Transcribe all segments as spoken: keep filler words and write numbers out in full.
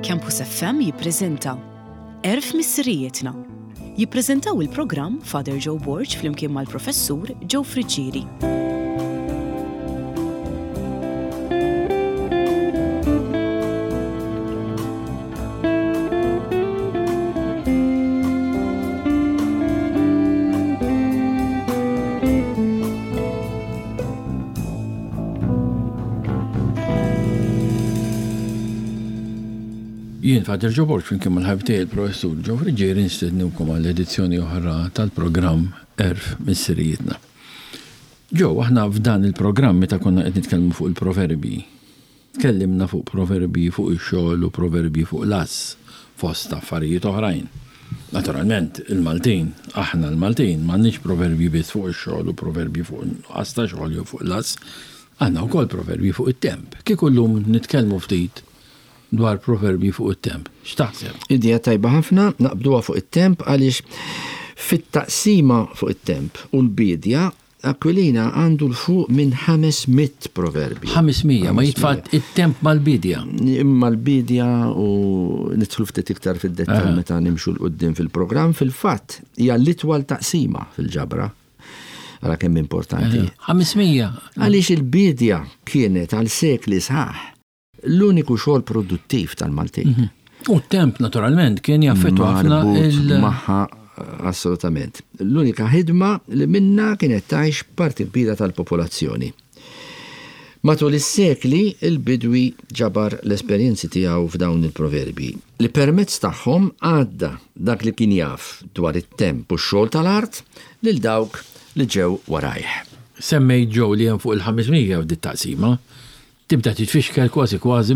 Campus F M jippreżenta Għerf Missirijietna. Jippreżentaw il-programm Father Joe Borg flimkien mal-Professur Joe Friggieri. Jien Father Joe Borg flimkien mal-ħabib tiegħi il-Professur Joe Friggieri nistednukom għall edizzjoni oħra tal-programm Għerf Missirijietna. Joe, aħna f'dan il-programm meta konna qed nitkellmu fuq il-proverbi, tkellimna fuq proverbi fuq ix-xogħol u proverbi fuq l-għażż fost affarijiet oħrajn. Naturalment, il-Maltin, aħna l-Maltin, m'għandniex proverbi biss fuq ix-xogħol u proverbi fuq nuqqas ta' xogħol jew fuq l-għażż, għandna wkoll proverbi fuq it-temp. Kieku llum nitkellmu ftit dwar proverbi fuq it-temp. X'taħseb? Idea tajba ħafna, naqbduha fuq it-temp għaliex fit-taqsima fuq it-temp u l-bidja Aquilina għandu 'l fuq minn ħames mitt proverbi. ħames mija, ma jitfa' it-temp mal-bidja. Imma l-bidja u nidħlu ftit iktar fid-dettal meta nimxu 'l quddiem fil-programm, fil-fatt hija l-itwal taqsima fil-ġabra. Ara kemm importanti. ħames mija. Għaliex il-bidja kienet għal sekli sħaħ l-uniku xogħol produttiv tal-Maltin. U t-temp naturalment kien jaffettwa ħafna Marbut il- magħha, assolutament. L-unika ħidma li minna kienet tgħix parti kbira tal-popolazzjoni. Matul is-sekli il-bidwi ġabar l-esperjenzi tiegħu f'dawn il-proverbi li permezz tagħhom għadda dak li kien jaf dwar it-temp u x-xogħol tal-art lil dawk li ġew warajh. Semmejt, Joe, li hemm fuq il-ħames mija f'dit taqsima, tibda titfixkel kważi kważi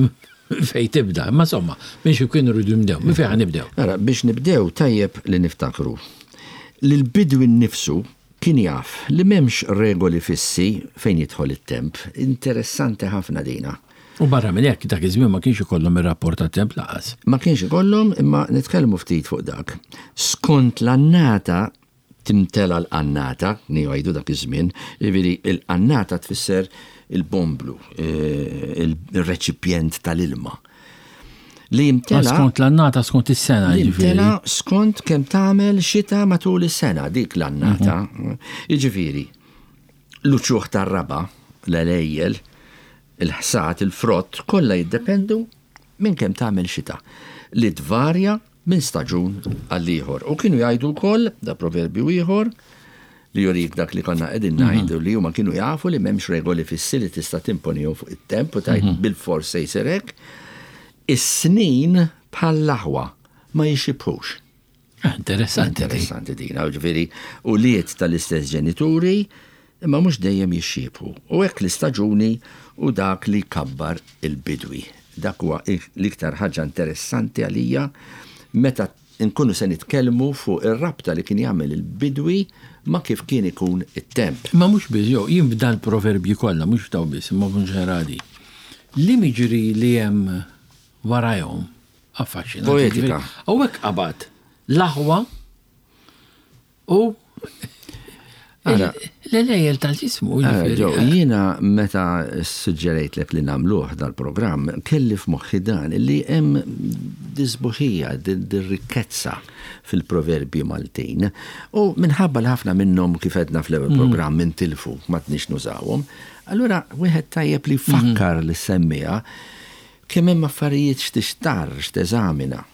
fej tibda. Ma insomma, biex kienu rridu nibdew, minn fejn nibdew? Ara, biex nibdew tajjeb li niftakru li l-bidwi nnifsu kien jaf li m'hemmx regoli fissi fejn jidħol it-temp. Interessanti ħafna dina. U barra minn hekk dak iż-żmien ma kienx ikollhom ir-rapport tat-temp lanqas. Ma kienx ikollhom, imma nitkellmu ftit fuq dak. Skont l-annata timtela l-qannata, ngħidu dak iż-żmien, jiġifieri il-qannata tfisser il-bomblu, eh, il-reċipjent tal-ilma. Li jimtela Skont l-annata, skont is-sena, li jiġifieri. jimtela skont kemm tagħmel xita matul is-sena, dik l-annata. Jiġifieri, l-uċuħ tar-raba, l-għelejjel, il-ħsat, il-frott, kollha jiddependu minn kemm tagħmel xita li tvarja minn staġun għal ieħor. U kienu jgħidu wkoll, da proverbju ieħor, li jurik dak li konna qegħdin ngħidu, li huma kienu jafu li m'hemmx regoli fissi li tista' timponihom fuq it-temp u tgħid bil-fors se jsir hekk. Is-snin bħall-aħwa ma jixibhux. Ah, interessanti. Interessanti dina, ġifieri, ulied tal-istess ġenituri, imma mhux dejjem jixxiebħu. U hekk l-istaġuni u dak li kabbar il-bidwi. Dak huwa l-iktar ħaġa interessanti għalija meta nkunu se nitkellmu fuq ir-rabta li kien jagħmel il-bidwi ma' kif kien ikun it-temp. Ma mhux biss, jo, jien f'dan proverbji kollha, mhux f'daw biss, imma b'mod ġenerali. L-imagery li hemm warajhom affaxxinanti. Poetika. Hawnhekk qabad l-aħwa u Ara. l-għelejjel tal-ġismu. Ara, jiġifieri. Joe, jiena meta suġġerejtlek li nagħmluh dal-programm, kelli f'moħħi dan li hemm dis-sbuħija, dir-rikkezza fil-proverbji Maltin. U minħabba li ħafna minnhom, kif għedna fl-ewwel programm, intilfu, ma tnix nużawhom, allura wieħed tajjeb li fakkar li semmija kemm hemm affarijiet x'tixtarr, x'teżamina.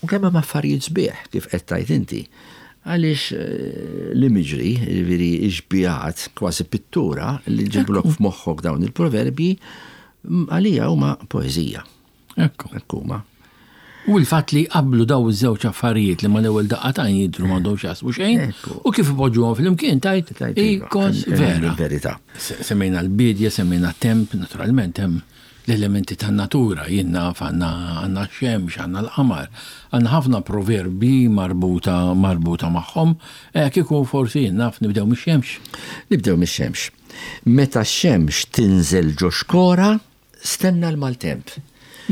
U kemm hemm affarijiet sbieħ kif qed tgħid inti. Għaliex eh, l-imagery, jiġifieri xbihat, kważi pittura li ġiblok f'moħħok dawn il-proverbji, m- għalija huma poeżija. Ekku. Hekk huma. U l-fatt li qablu daw iż-żewġ affarijiet li ma l-ewwel daqqa t'għajn jidhru m'għandhom x'jaqsmu xejn, Ekku. u kif ipoġġuhom flimkien tgħid Tgħid iva, ikos hemm- hemm vera. il-verità. Se- Semmejna l-bidja, semmejna temp, naturalment hemm l-elementi tan-natura, jien naf għandna għandna x-xemx, għandna l-qamar, għandna ħafna proverbi marbuta marbuta magħhom, eh, kieku forsi jien naf nibdew mix-xemx. Nibdew mix-xemx. Meta x-xemx tinżel ġo xkora, stenna l-maltemp.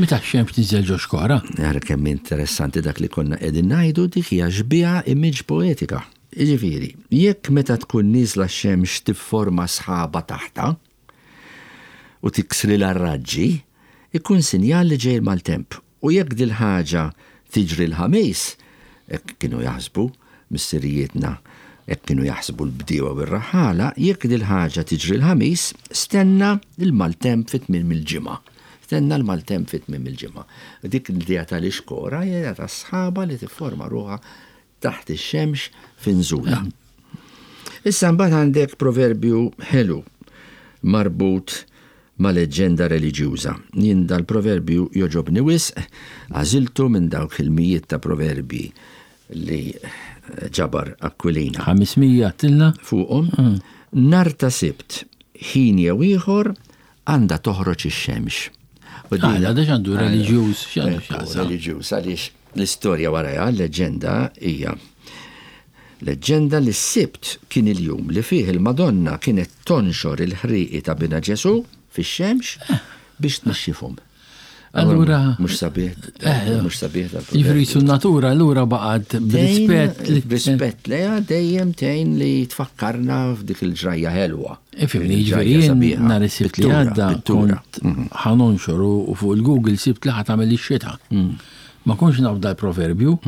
Meta x-xemx tinżel ġo xkora? Ara kemm interessanti dak li konna qegħdin ngħidu, dik hija xbieha, image poetika. Jiġifieri, jekk meta tkun nieżla x-xemx tifforma sħaba taħta u tiksri l-raġġi, ikun sinjal li ġej maltemp. U jekk dil-ħaġa tiġri l-Ħamis, hekk kienu jaħsbu missirijietna, hekk kienu jaħsbu l-bdiewa u r-raħħala, jekk dil-ħaġa tiġri l-Ħamis, stenna l-maltemp fi tmiem il-ġimgħa. Stenna l-maltemp fi tmiem il-ġimgħa. Dik l-idea tal-ixkora hija ta' sħaba li tifforma ruħha taħt ix-xemx finżula. Issa mbagħad għandek proverbju ħelu marbut ma' leġġenda reliġjuża. Jien dal-proverbju joġobni wisq, għażiltu minn dawk il-mijiet ta' proverbji li ġabar Aquilina. ħames mija tilna? Fuqhom. Nhar ta' Sibt, ħin jew ieħor għandha toħroġ ix-xemx. U Ah, da x'għandu reliġjuż, x'għandu x'jaqsam? Reliġjuż, għaliex l-istorja warajha, l-leġġenda hija leġġenda li s-Sibt kien il-jum li fih il-Madonna kienet tonxor il-ħriqi ta' bina Ġesu fix-xemx biex tnixxifhom. Allura- Mhux sabiħ, Eh, mhux sabiħ dal-proverbju. Jiġifieri su natura allura baqgħet b'rispett li Rispett lejha dejjem tgħin li tfakkarna f'dik il-ġrajja ħelwa. Ifimni, Il-ġrajja jiġifieri jien sabiħa. nhar is-Sibt li Pittura, għadda pittura. kont ħa nonxor u fuq il-Google sibt li ħa tagħmel ix-xita. Ma kontx naf dal-proverbju,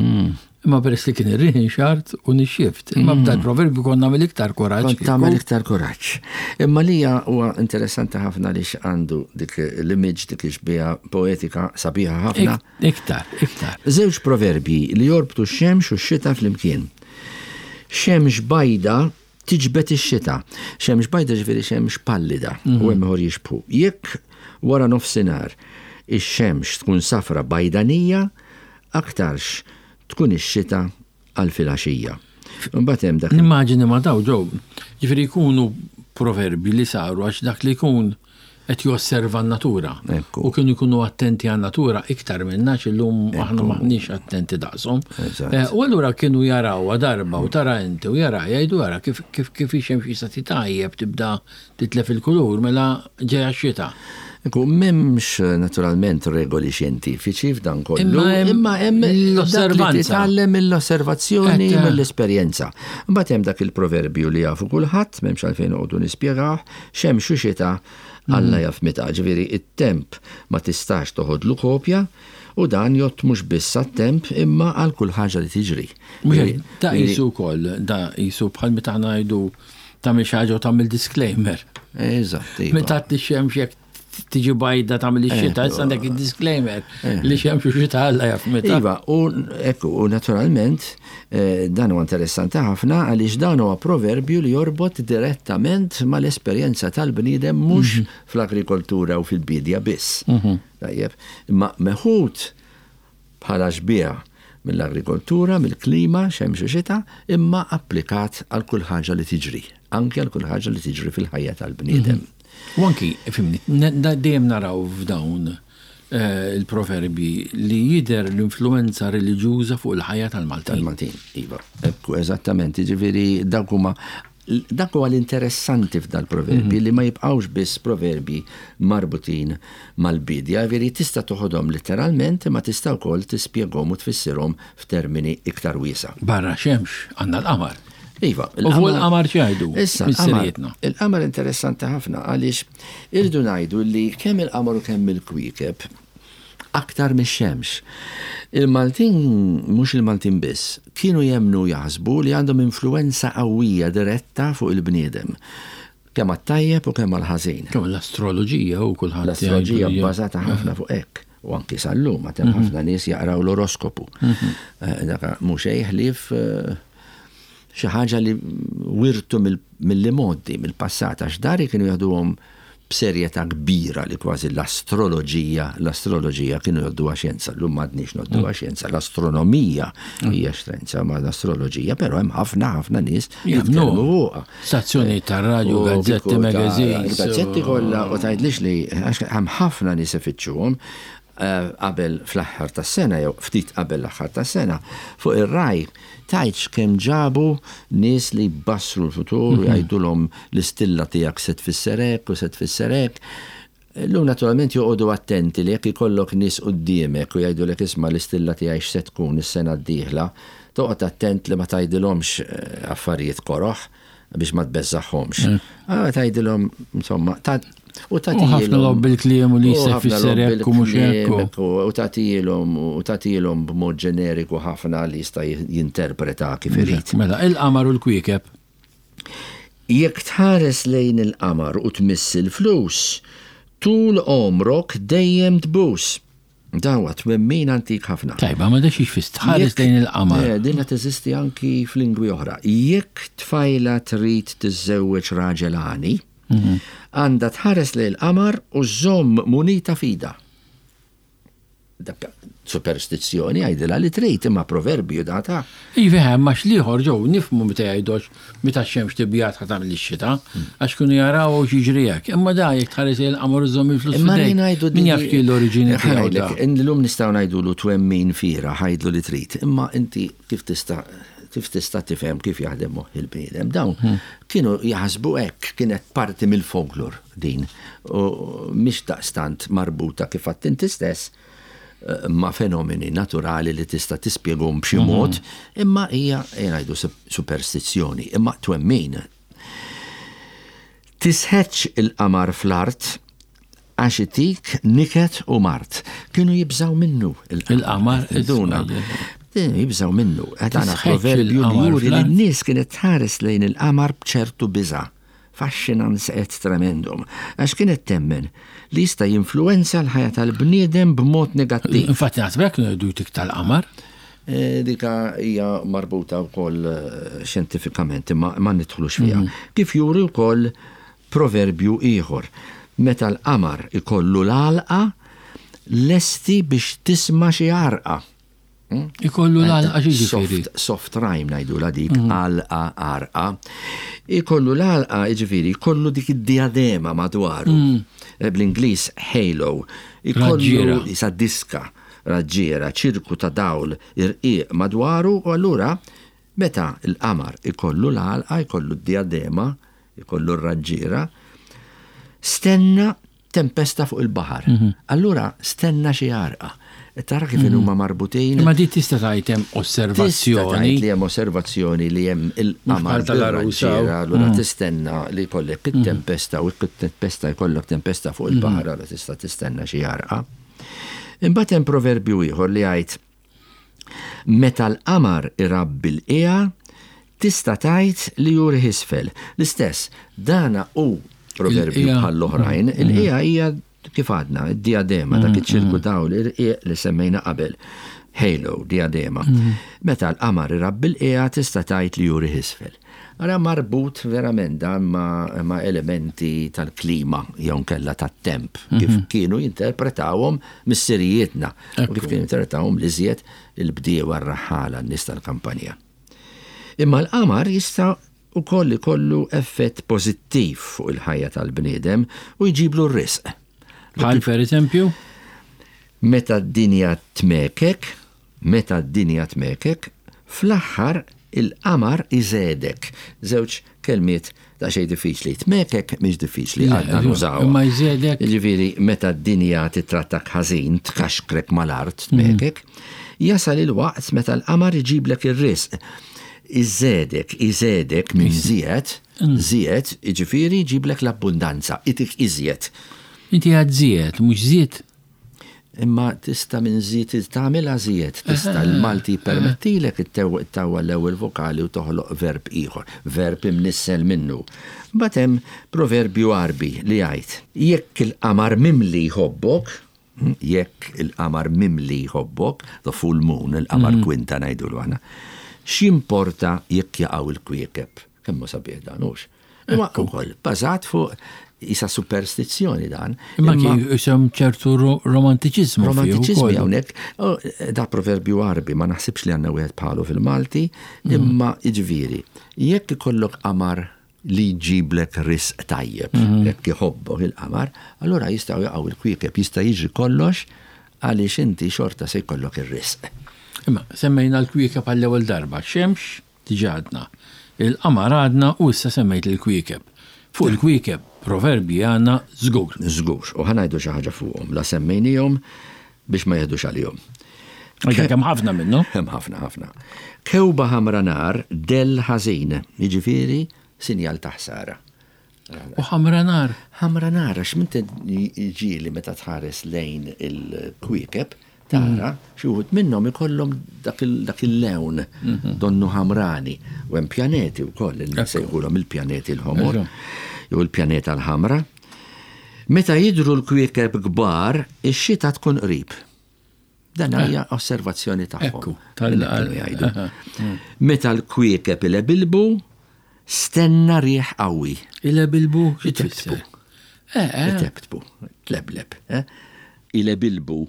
imma peress li kien ir-riħ inxart u nixxift. Imma b'dal-proverbju kont nagħmel iktar kuraġġ. Kont tagħmel iktar kuraġġ. Imma lija huwa interessanti ħafna li għandu dik l-image, dik ix-xbieha poetika sabiħa ħafna. Iktar, iktar. Żewġ proverbji li jorbtu x-xemx u x-xita flimkien. Xemx bajda tiġbed ix-xita. Xemx bajda ġifieri xemx pallida u hemm ieħor jixbħu. Jekk wara nofsinhar ix-xemx tkun safra bajdanija, aktarx tkun ix-xita għal filgħaxija. Imbagħad hemm dak Nimmaġini ma daw ġew, ġifieri jkunu proverbi li saru għax dak li jkun qed josserva n-natura. Ekku. U kienu jkunu attenti għan-natura iktar minna illum aħna maħniex attenti daqshom. Eżatt. Eh, U allura kienu jarawha darba u tara inti u jara jgħidu jara kif kif kif ix-xemx jista' titajjeb tibda titlef il-kulur mela ġejja x-xita. Ekku, m'hemmx naturalment regoli xjentifiċi f'dan kollu, Imma hemm imma hemm dak li l-osservanza. titgħallem mill-osservazzjoni, Et, eh. mill-esperjenza. Mbagħad hemm dak il-proverbju li jafu kulħadd, m'hemmx għalfejn noqogħdu nispjegawh, xemx u xita Alla jaf meta, ġifieri it-temp ma tistax toħodlu kopja u dan jgħodd mhux biss għat-temp imma għal kull ħaġa li tiġri. Mhux hekk, da qisu wkoll, da qisu bħal meta aħna ngħidu tagħmel xi ħaġa u tagħmel disclaimer. Eżatt, iva. Meta t-xemx jekk tiġi bajda tagħmel ix-xita, issa għandek il-disclaimer li xemx u xita Alla jaf meta. Iva, u ekku, u naturalment eh, dan huwa interessanti ħafna għaliex dan huwa proverbju li jorbot direttament mal-esperjenza tal-bniedem mhux fl-agrikoltura u fil-bidja biss. Tajjeb, imma meħud bħala xbieha mill-agrikoltura, mill-klima, xemx u xita, imma applikat għal kull ħaġa li tiġri, anke għal kull ħaġa li tiġri fil-ħajja tal-bniedem. U anki, fimni, dejjem naraw f'dawn eh, il-proverbi li jidher l-influenza reliġjuża fuq il-ħajja tal-Maltin. Tal-Maltin, iva. Ekku, eżattament, ġifieri dak huma dak huwa l-interessanti f'dal-proverbi li ma jibqgħux biss proverbi marbutin mal-bidja, ġifieri tista' toħodhom letteralment imma tista' wkoll tispjegahom u tfissirhom f'termini iktar wiesa. Barra xemx għandna l-qamar. Iva, U fuq il-qamar x'jgħidu? Issa, il-qamar Missirietna. il-qamar interessanti ħafna għaliex irridu ngħidu li kemm il-qamar u kemm il-kwiekeb aktar mix-xemx. Il-Maltin, mhux il-Maltin biss, kienu jemnu jaħsbu li għandhom influenza qawwija diretta fuq il-bniedem. Kemm għat-tajjeb u kemm għal-ħażin. Kemm l-astroloġija u kulħadd L-astroloġija jgħidu li- bbażata ħafna fuq hekk. U anki sal-lum, għad hemm ħafna nies jaqraw l-oroskopu. Eh, Daka mhux ħlief eh, xi ħaġa li wirtu mill-modi, mill-passat, għax dari kienu jaħduhom b'serjetà kbira li kważi l-astroloġija, l-astroloġija kienu jgħodduha xjenza, llum m'għadniex ngħodduha xjenza, l-astronomija hija xjenza ma l-astroloġija, però hemm ħafna ħafna nies Jemmnu. jitkellmu fuqha. Stazzjoni tar-radju, U gazzetti, kieku ta' magazines. Gazzetti kollha u tgħidlix li għax hemm ħafna nies ifittxuhom eh, qabel fl-aħħar tas-sena jew ftit qabel l-aħħar tas-sena fuq ir-Rai tgħidx kemm ġabu nies li jbassru l-futur u jgħidulhom l-istilla tiegħek se tfisser hekk u se tfisser hekk. Illum naturalment joqogħdu attenti li jekk ikollok nies quddiemek u jgħidulek isma' l-istilla tiegħi x'se tkun is-sena d-dieħla, toqgħod attent li ma tgħidilhomx eh, affarijiet koroħ biex ma tbeżżagħhomx. Ah, tgħidilhom insomma, ta' U ħafna logħob bil-kliem u li jista' jfisser hekk u mhux hekk. U tagħtihom u tagħtihom b'mod ġeneriku ħafna li jista' jinterpreta kif irid. Mela, il-qamar u l-kwiekeb. Jekk tħares lejn il-qamar u tmiss il-flus, tul għomrok dejjem tbus. Dan huwa twemmin antik ħafna. Tajba, ma dax jixfis tħares lejn il-qamar. Eh, Dinha teżisti anki f'lingwi oħra. Jekk tfajla trid tiżżewweġ raġel għani, Mhm. għandha tħares lejn il-qamar u żomm munita f'idha. Dak superstizzjoni għajdilha li trid imma proverbju data. Iva, ma xliħor ġew nifmu meta jgħidox meta x-xemx tibjat ħa tagħmel ix-xita, għax kienu jaraw u x'jiġri hekk. Imma da jekk tħares lejn il-qamar u żomm il-flus. Imma f'idejk, ngħidu Min jaf x'kien l-oriġini tiegħu da. Illum nistgħu ngħidulu twemmin fira ħajdlu li trid, imma inti kif tista' kif tista' tifhem kif jaħdem moħħ il-bniedem. Dawn kienu jaħsbu hekk, kienet parti mill-folklor din. U mhix daqstant marbuta kif għedt inti stess eh, ma' fenomeni naturali li tista' tispjegahom b'xi mod, imma hija ngħidu superstizzjoni, imma twemmin. Tisħetx il-qamar fl-art għax itik niket u mard. Kienu jibżaw minnu Il-qamar, Duna. Jibżaw minnu. Għadana Tisħetx proverbju li il-qamar juri li fl-art? n-nies kienet tħares lejn il-qamar bċertu biża. Fascinans et tremendum. Għax kienet temmen li jista' jinfluenza l-ħajja tal-bniedem b'mod negattiv. Infatti naħseb hekk kienu jgħidu tik tal-qamar. Eh, Dika hija marbuta wkoll eh, xjentifikament, imma ma nidħlux fiha. Kif juri wkoll proverbju ieħor. Meta l-qamar ikollu l-għalqa, lesti biex tisma' xi għarqa. Ikollu l-għalqa ġifieri. Soft, soft rhyme ngħidu la dik, għalqa, għarqa. Ikollu l-għalqa, ġifieri, ikollu dik id-diadema madwaru. Eh, Bl-Ingliż halo. Ikollu Raġġiera. isa diska, raġġiera, ċirku ta' dawl irqiq madwaru, u allura meta l-qamar ikollu l-għalqa, ikollu d-diadema, ikollu r-raġġiera, stenna tempesta fuq il-baħar. Allura stenna xi għarqa. Tara kif huma marbutin. Imma di tista' tgħid hemm Tista' osservazzjoni. tgħid li hemm osservazzjoni li hemm il-qamar bħal tal-għarusa. bir-raġġiera, allura tistenna li jkollek it-tempesta u it-tempesta jkollok tempesta fuq il-baħar, allura tista' tistenna xi għarqa. Imbagħad hemm proverbju ieħor li jgħid meta l-qamar irabbi l-qiegħa tista' tgħid li juri isfel. L-istess, dana hu proverbju Il-qiegħa. bħall-oħrajn, il-qiegħa hija kif għadna, id-diadema, dak iċ-ċirku dawl irqiq li semmejna qabel. Halo, diadema. Meta l-qamar irabbi l-qiegħa tista' tgħid li juri isfel. Ara marbut verament dan ma, ma elementi tal-klima jew nkella tat-temp, kif kienu jinterpretawhom missirijietna u kif kienu jinterpretawhom l-iżjed il-bdiewa r-raħħala n-nies tal-kampanja. Imma l-qamar jista' ukoll ikollu effett pożittiv fuq il-ħajja tal-bniedem u jġiblu r-risq. Bħal per eżempju, Meta d-dinja tmekek, meta d-dinja tmekek, fl-aħħar il-qamar iżedek. Żewġ kelmiet ta' xejn diffiċli. Tmekek mhix diffiċli Le, għadna nużaw. imma jżedek. Jiġifieri meta d-dinja titrattak ħażin, tkaxkrek mal-art, tmekek, jasal il-waqt meta l-qamar iġiblek ir-risq. Iżedek, iżedek minn żied, żied, jiġifieri jġiblek l-abbundanza, itik iżjed. Inti għad żied, mhux żied. Imma tista' minn żied tagħmilha żied, tista' l-Malti permettilek ittawwa l-ewwel vokali u toħloq verb ieħor, verb imnissel minnu. Mbagħad hemm proverbju Għarbi li jgħid: jekk il-qamar mimli jħobbok, jekk il-qamar mimli jħobbok, the full moon, il-qamar kwinta ngħidulu aħna, x'importa jekk jaqgħu il-kwiekeb? Kemm hu sabiħ dan hux. Imma ukoll bażat fuq isa superstizzjoni dan. Imma kien isem ċertu ro- romantiċiżmu fih Romantiċizmi ukoll. hawnhekk, oh, da proverbju Għarbi ma naħsibx li għandna wieħed bħalu fil-Malti, imma jiġifieri, jekk ikollok qamar li jġiblek risq tajjeb, jekk iħobbok il-qamar, allura jistgħu jaqgħu il-kwiekeb, jista' jiġri kollox għaliex inti xorta se jkollok ir-risq. Imma semmejna l-kwiekeb għall-ewwel darba, xemx diġà għadna, il-qamar għadna u issa semmejt il-kwiekeb. Fuq il-kwiekeb proverbi għandna żgur. Żgur, u ħa ngħidu xi ħaġa fuqhom, la semmejnihom biex ma jeħdux għalihom. Għalhekk hemm ħafna minnu. Hemm ħafna ħafna. Kewba ħamra nar del ħażin, jiġifieri sinjal ta' ħsara. U ħamra nar. Ħamra nar, għax minn ġieli meta tħares lejn il-kwiekeb, tara xi wħud minnhom ikollhom dak il-lewn donnu ħamrani. U hemm pjaneti wkoll li nsejħulhom il-pjaneti l-ħomor jew il-pjaneta l-ħamra. Meta jidhru l-kwiekeb kbar, ix-xita tkun qrib. Dan hija osservazzjoni tagħhom. Jgħidu. Meta l-kwiekeb ilebilbu, stenna riħ qawwi. Ilebilbu xi tfisser? Itebtbu, tlebleb. Ilebilbu,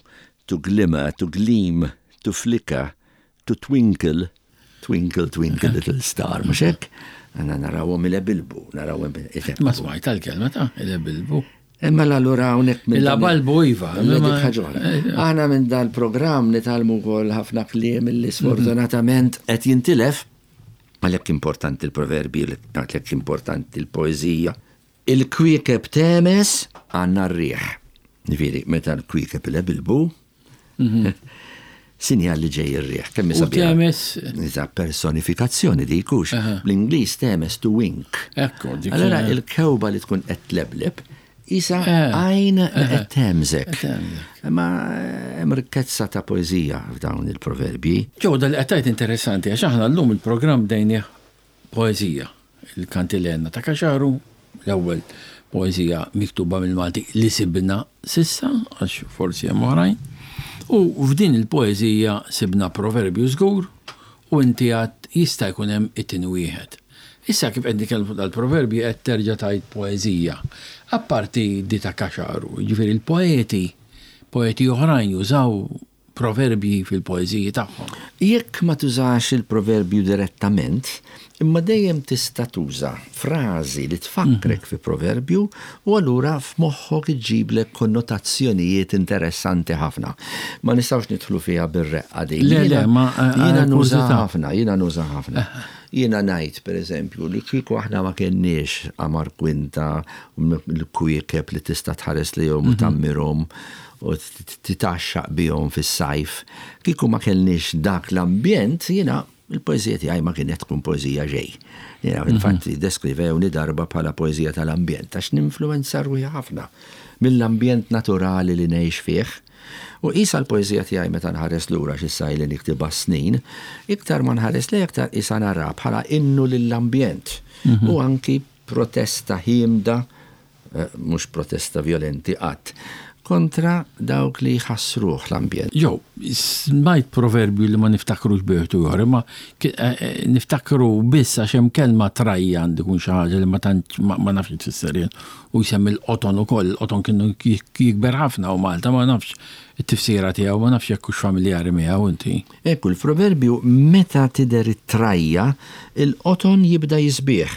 to glimmer, to gleam, to flicker, to twinkle, twinkle, twinkle, little star, mhux hekk? Għandna narawhom ilebilbu, narawhom itebtbu. Ma smajt tal-kelma ta' ilebilbu. Imma allura hawnhekk minn. Il-balbu iva. Aħna minn dal-programm nitgħallmu wkoll ħafna kliem li sfortunatament qed jintilef. Għalhekk importanti l-proverbi, għalhekk importanti l-poeżija. Il-kwiekeb temes għandna r-riħ. Ġifieri, meta l-kwiekeb ilebilbu, sinjal li ġej ir-riħ. Kemm sabiħa. Temes. Iżda personifikazzjoni dik hux. Bl-Ingliż temes to wink. Ekku, dik. Allura il-kewba li tkun qed tlebleb isa għajn qed temżek. Ma hemm rikkezza ta' poeżija f'dawn il-proverbji. Ġew dal qed tgħid interessanti għax aħna llum il-programm bdejnieh poeżija. Il-kantilena ta' Kaxaru, l-ewwel poeżija miktuba mill-Malti li sibna sissa, għax forsi hemm oħrajn. U f'din il-poeżija sibna proverbju żgur u inti għad jista' jkun hemm it-tieni wieħed. Issa kif qed nitkellmu fuq dal-proverbji qed terġa' tgħid poeżija. Apparti di ta' Kaxaru, jiġifieri l-poeti, poeti oħrajn jużaw proverbji fil-poeżiji tagħhom. Jekk ma tużax il-proverbju direttament, imma dejjem tista' tuża frażi li tfakkrek fi proverbju u allura f'moħħok iġġiblek konnotazzjonijiet interessanti ħafna. Ma nistgħux nidħlu fiha bir-reqqa din. Le, le, ma jiena nuża ħafna, jiena nuża ħafna. Jiena ngħid pereżempju li kieku aħna ma kenniex qamar kwinta l-kwiekeb li tista' tħares lejhom u tammirhom u titaxxaq bihom fis-sajf, kieku ma kellniex dak l-ambjent, jiena il-poeżija tiegħi ma kienet tkun poeżija ġej. Jiena infatti deskrivewni darba bħala poeżija tal-ambjent għax ninfluwenza ruħi ħafna mill-ambjent naturali li ngħix fih. U qisha l-poeżija tiegħi meta nħares lura x'issa li niktibha snin, iktar ma nħares lejha iktar qisha nara bħala innu lill-ambjent. U anki protesta ħiemda, mhux protesta violenti qatt, kontra dawk li jħassruh l-ambjent. Jow, smajt proverbju li ma niftakrux bieħtu ieħor, imma niftakru biss għax hemm kelma trajja għandi kun xi ħaġa li ma tantx ma nafx tfisser jien. U jsemmi l-qoton ukoll, il-qoton kienu jikber ħafna u Malta ma nafx it-tifsira tiegħu, ma nafx jekk hux familjari miegħu inti. Ekku, l-proverbju meta tidher it-trajja, il-qoton jibda jisbieħ.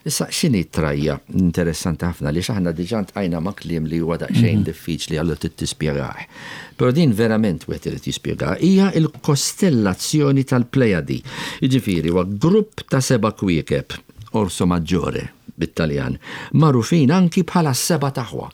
Issa x'inhi t-trajja? Interessanti ħafna li aħna diġà ntqajna ma' kliem li huwa daqsxejn diffiċli għallu tispjegah. Però din verament wieħed irid jispjega hija l-kostellazzjoni tal-Plejadi. Jiġifieri huwa grupp ta' seba' kwiekeb, Orso Maggiore bit-Taljan, magħrufin anki bħala s-seba' taħwa.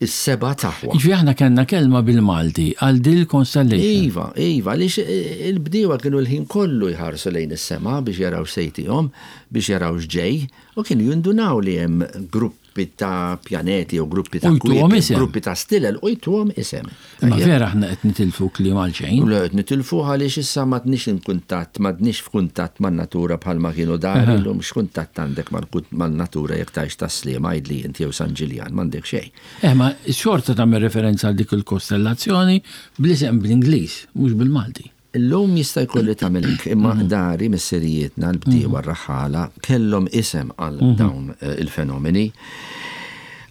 Is-seba' taħwa. Jiġifieri aħna kellna kelma bil-Malti għal dil constellation. Iva, iva, għaliex il-bdiewa kienu l-ħin kollu jħarsu lejn is-sema biex jaraw x'sejtihom, biex jaraw x'ġej, u kienu jindunaw li hemm gruppi ta' pjaneti u gruppi ta' kwiekeb, gruppi ta' stilel u jtuhom isem. Imma vera aħna qed nitilfu kliem għal xejn. Le qed nitilfu għaliex issa m'għadniex inkuntatt, m'għadniex f'kuntatt man-natura bħalma kienu dari llum, x'kuntatt għandek man-natura jekk tgħix Tas-Sliema għidli inti jew San Ġiljan, m'għandek xejn. Eh, ma xorta tagħmel referenza għal dik il-kostellazzjoni bl-isem bl-Ingliż, mhux bil-Malti. Illum jista' jkun li tagħmel hekk, imma dari missirijietna l-bdiewa r-raħħala kellhom isem għal dawn il-fenomeni.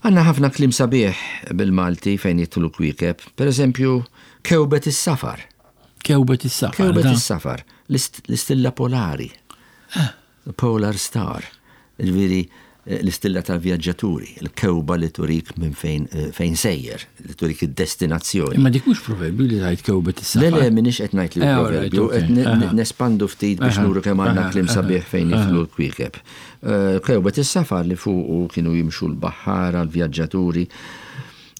Għandna ħafna kliem sabiħ bil-Malti fejn jidħlu kwiekeb, pereżempju kewbet is-safar. Kewbet is-safar. Kewbet is-safar, l-istilla polari. Polar star. Ġifieri l-istilla tal-vjaġġaturi, il-kewba li turik minn fejn fejn sejjer, li turik id-destinazzjoni. Imma dik mhux proverbju li tgħid kewbet is-safar. Le, le, m'iniex qed ngħid li proverbju, qed nespandu ftit biex nuru kemm għandna kliem sabiħ fejn jidħlu l-kwiekeb. Kewbet is-safar li fuqu kienu jimxu l-baħħara, l-vjaġġaturi,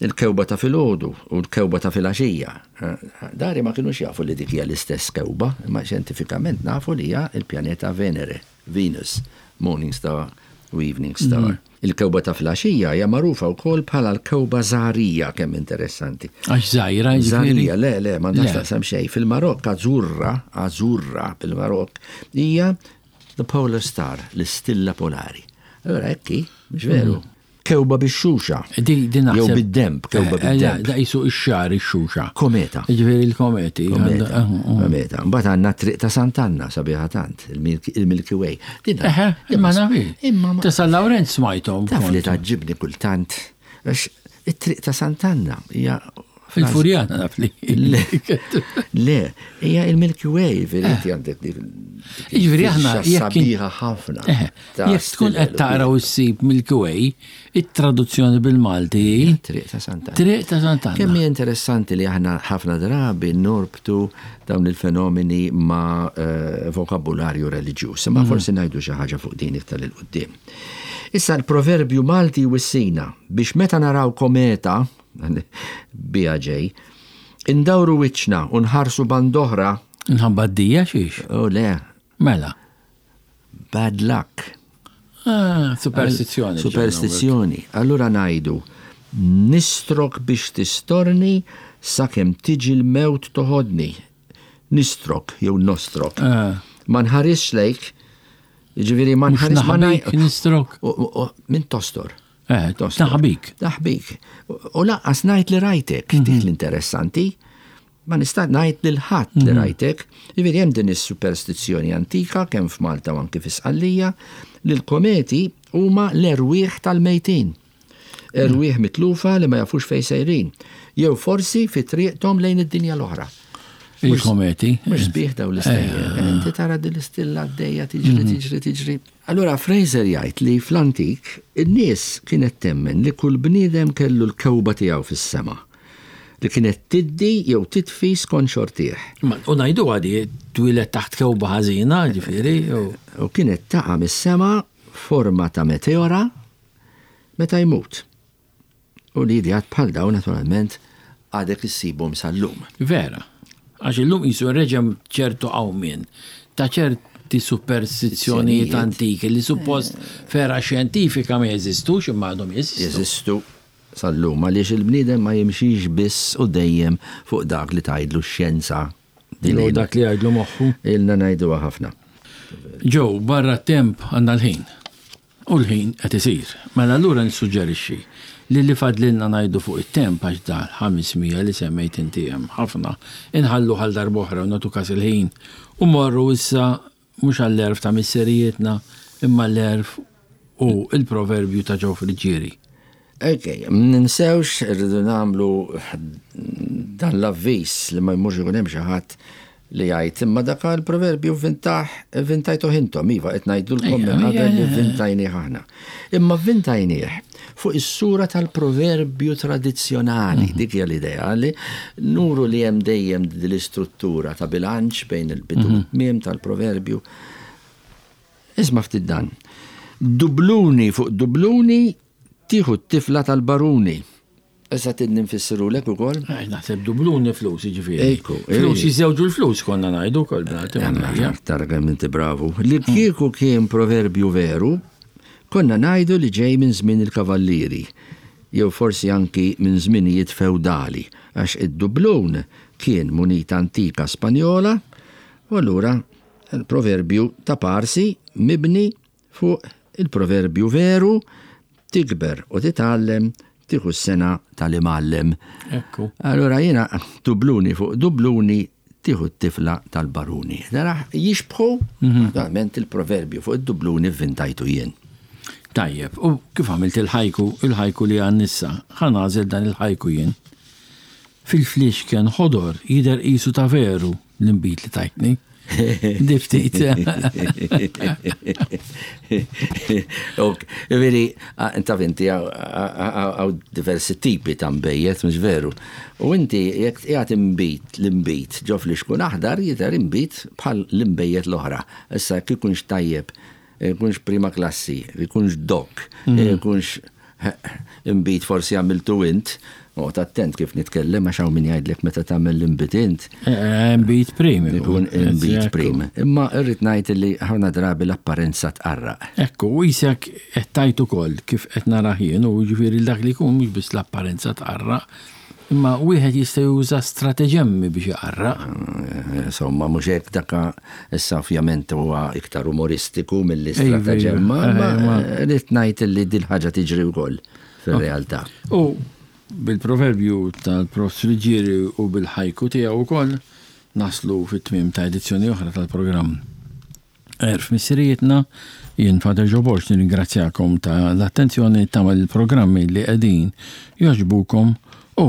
il-kewba ta' filgħodu u l-kewba ta' filgħaxija. Dari ma kinux jafu li dik hija l-istess kewba, imma xjentifikament nafu li hija l-pjaneta Venere, Venus, Morning Star u Evening Star. Il-kewba ta' filgħaxija hija magħrufa wkoll bħala l-kewba żgħarija, kemm interessanti. Għax żgħira, jiġifieri? Żgħarija, le, le, m'għandax Le. taqsam xejn. Fil-Marokk Azzurra, Azzurra fil-Marokk hija the polar star, l-istilla polari. Allora hekk hi, mhux veru? Kewba bix-xuxa. Di, di naħseb. Jew bid-demb, kewba Eh, eh, bid-demb. Da qisu ix-xagħar ix-xuxa. Kometa. Jiġifieri l-kometi. Kometa. Eh, eh. Kometa. Mbagħad għandna triq ta' Sant'Anna sabiħa tant, il-Milky il-Milky Way. Din- Eħe, imma nafi. Imma ma- Ta' San Lawrenz smajthom. Taf li kont. tgħaġġibni kultant, għax it-triq ta' Sant'Anna hija Il-Furjana naf li. Le, le, hija il-Milky Way, veri għandek dik. Jiġifieri aħna jekk sabiħa ħafna. Eħe, ta' jekk tkun qed stilel u taqra u ssib Milky Way, it-traduzzjoni bil-Malti hi Triq ta' Sant'Anna. Triq ta' Sant'Anna. Kemm hija interessanti li aħna ħafna drabi norbtu dawn il-fenomeni ma' eh, vokabularju reliġjuż, imma forsi ngħidu xi ħaġa fuq din iktar 'il quddiem. Issa l-proverbju Malti wissina biex meta naraw kometa, bija ġej, indawru wiċċna u nħarsu band'oħra, Nħabba d-dija xiex. oh le, Mela. bad luck. Ah, superstizzjoni. Superstizzjoni. Allura ngħidu, nistrok biex tistorni sakemm tiġi l-mewt toħodni. Nistrok jew nostrok. Ah. Ma nħarisx lejk, ġifieri ma Mhux nħaris ma naħbik, ngħid- nistrok. U- u- u- Min tostor. Eh, Tostor. naħbik. Naħbik. U- U lanqas ngħid li rajtek, dik l-interessanti. Ma nista' ngħid lil ħadd li rajtek. Jiġifieri hemm din is-superstizzjoni antika kemm f'Malta u anke fi Sqallija li l-kometi huma l-erwieħ tal-mejtin. Erwieħ mitlufa li ma jafux fejn sejrin. Jew forsi fi triqthom lejn id-dinja l-oħra. Il-kometi. Mhux sbieħ daw l-istejjer. Inti tara din l-istilla għaddejja tiġri, tiġri, tiġri. Allura Fraser jgħid li fl-antik in-nies kienet temmen li kull bniedem kellu l-kewba tiegħu fis-sema li kienet tiddi jew titfi skont xortih. Ma- U ngħidu għadi, twieled taħt kewba ħażina, ġifieri. u- U kienet taqa' mis-sema forma ta' meteora meta jmut. U li ideat bħal dawn naturalment għadek issibhom sal-lum. Vera. Għax illum qisu reġem ċertu qawmien ta' ċerti superstizzjonijiet antiki li suppost vera xjentifika ma jeżistux imma għadhom jeżistu. Jeżistu sal-lum għaliex il-bniedem ma jimxix biss u dejjem fuq dak li tgħidlu x-xjenza. Din Jew dak li jgħidlu moħħu. Ilna ngħiduha ħafna. Ġew, barra temp għandna l-ħin. U l-ħin qed isir. Mela allura nissuġġerixxi li li fadlilna ngħidu fuq it-temp għax dal ħames mija li semmejt inti hemm ħafna inħallu għal darb'oħra u nagħtu każ il-ħin u morru issa mhux għall-għerf ta' misserijietna imma l-għerf u il-proverbju ta' Joe Friggieri. Ok, ninsewx irridu nagħmlu dan l-avviż li ma jmurx ikun hemm xi ħadd li jgħid imma dak il-proverbju vvintah vvintajtu intom, iva qed ngħidulkom minn qabel li vvintajnieh aħna. Imma vvintajnieh fuq is-sura tal-proverbju tradizzjonali, dik hija l-idea li nuru li hemm dejjem din l-istruttura ta' bilanċ bejn il-bidu u t-tmiem tal-proverbju. Isma' ftit dan. Dubluni fuq dubluni tieħu t-tifla tal-baruni. Issa tidni nfissirulek ukoll? Eh, Naħseb dubluni flus, jiġifieri. Ekku, Flus eh. jiżewġu l-flus konna ngħidu wkoll bnati. Tara kemm inti bravu. Li kieku kien proverbju veru, konna ngħidu li ġej minn żmien il-kavallieri, jew forsi anki minn żminijiet feudali, għax id-dublun kien munita antika Spanjola, u allura il-proverbju ta' parsi mibni fuq il-proverbju veru tikber u titgħallem tieħu s-sengħa tal-imgħallem. Ekku. Allora jiena dubluni fuq dubluni tieħu t-tifla tal-baruni. Dara jixbħu, naturalment il-proverbju fuq id-dubluni vvintajtu jien. Tajjeb, u kif għamilt il-ħajku, il-ħajku li għan nissa, ħa nagħżel dan il-ħajku jien. Fil-flixken ħodor jidher qisu ta' veru l-imbit li tajtni. Di ftit. Ok, veri, inta inti hawn diversi tipi ta' nbejjed, mhux veru. U inti jekk qiegħed imbit l-imbit ġo flixkun aħdar jidher imbit bħal l-imbejjed l-oħra. Issa jekk ikunx tajjeb, ikunx prima klassi, ikunx DOC, ikunx imbit forsi għamiltu int, Oqgħod attent kif nitkellem, għax hawn min jgħidlek meta tagħmel l-inbid int. Inbid prim. Ikun inbid prim. Imma irrid ngħid li ħafna drabi l-apparenza tqarraq. Ekku, u jisek qed tajt ukoll kif qed nara jien, u ġifieri dak li jkun mhux biss l-apparenza tqarraq, imma wieħed jista' juża strateġemmi biex iqarraq. Insomma, mhux hekk, daka issa ovvjament huwa iktar umoristiku milli strateġemma, imma rrid ngħid li dil-ħaġa tiġri wkoll fir-realtà. U bil-proverbju tal-Prof Friggieri u bil-ħajku tiegħu wkoll naslu fit-tmiem ta' edizzjoni oħra tal-programm Għerf Missirijietna. Jien, Father Joe Borg, nirringrazzjakom ta' l-attenzjoni ta' il-programmi li qegħdin jogħġbukom u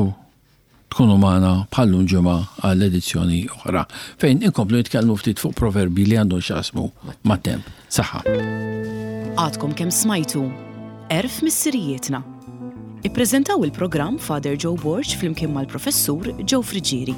tkunu magħna bħal-lum ġimgħa għall-edizzjoni oħra fejn inkomplu nitkellmu ftit fuq proverbi li għandhom x'jaqsmu mat-temp. Saħħa. Għadkom kemm smajtu Għerf Missirijietna. Ippreżentaw il-programm Father Joe Borg flimkien mal-Professur Joe Friggieri.